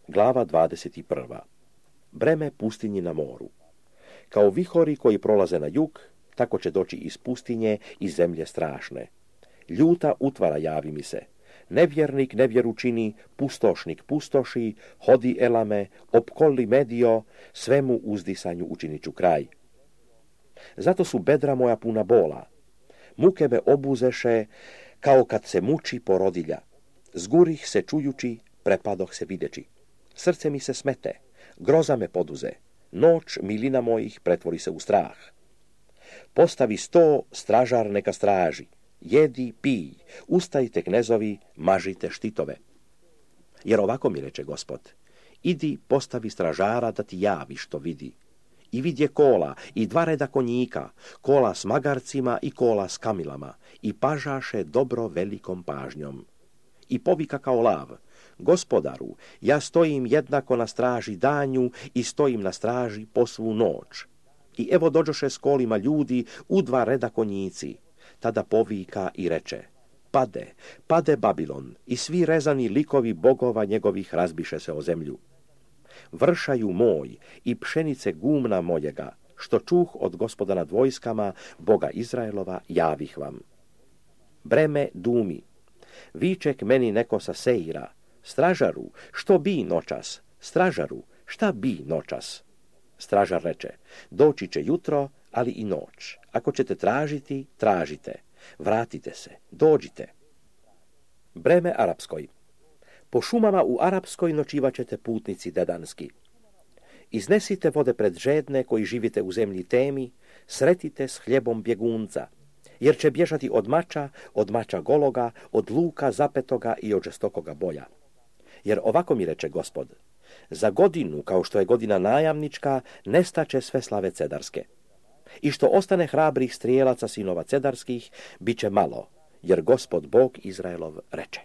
Glava 21. Breme pustinji na moru. Kao vihori koji prolaze na jug, tako će doći iz pustinje i zemlje strašne. Ljuta utvara javi mi se. Nevjernik nevjeru čini, pustošnik pustoši, hodi elame, opkoli medio, svemu uzdisanju učinit ću kraj. Zato su bedra moja puna bola. Muke me obuzeše, kao kad se muči porodilja. Zgurih se čujući, prepadoh se videći. Srce mi se smete, groza me poduze. Noć milina mojih pretvori se u strah. Postavi 100 stražar neka straži. Jedi, pij, ustajte knezovi, mažite štitove. Jer ovako mi reče Gospod, idi postavi stražara da ti javi što vidi. I vidje kola i 2 reda konjika, kola s magarcima i kola s kamilama, i pažaše dobro velikom pažnjom. I povika kao lav, Gospodaru, ja stojim jednako na straži danju i stojim na straži po svu noć. I evo dođoše s kolima ljudi u 2 reda konjici. Tada povika i reče, pade, pade Babilon, i svi rezani likovi bogova njegovih razbiše se o zemlju. Vršaju moj i pšenice gumna mojega, što čuh od Gospoda nad vojskama, Boga Izraelova, javih vam. Breme dumi, viček meni neko sa Seira, stražaru, što bi noćas, stražaru, šta bi noćas? Stražar reče, doći će jutro, ali i noć. Ako ćete tražiti, tražite. Vratite se, dođite. Breme arapskoj. Po šumama u Arapskoj noćivaćete putnici dedanski. Iznesite vode pred žedne koji živite u zemlji temi, sretite s hljebom bjegunca, jer će bježati od mača gologa, od luka zapetoga i od žestokoga boja. Jer ovako mi reče Gospod, za godinu, kao što je godina najamnička, nestaće sve slave cedarske. I što ostane hrabrih strijelaca sinova cedarskih, bit će malo, jer Gospod Bog Izraelov reče.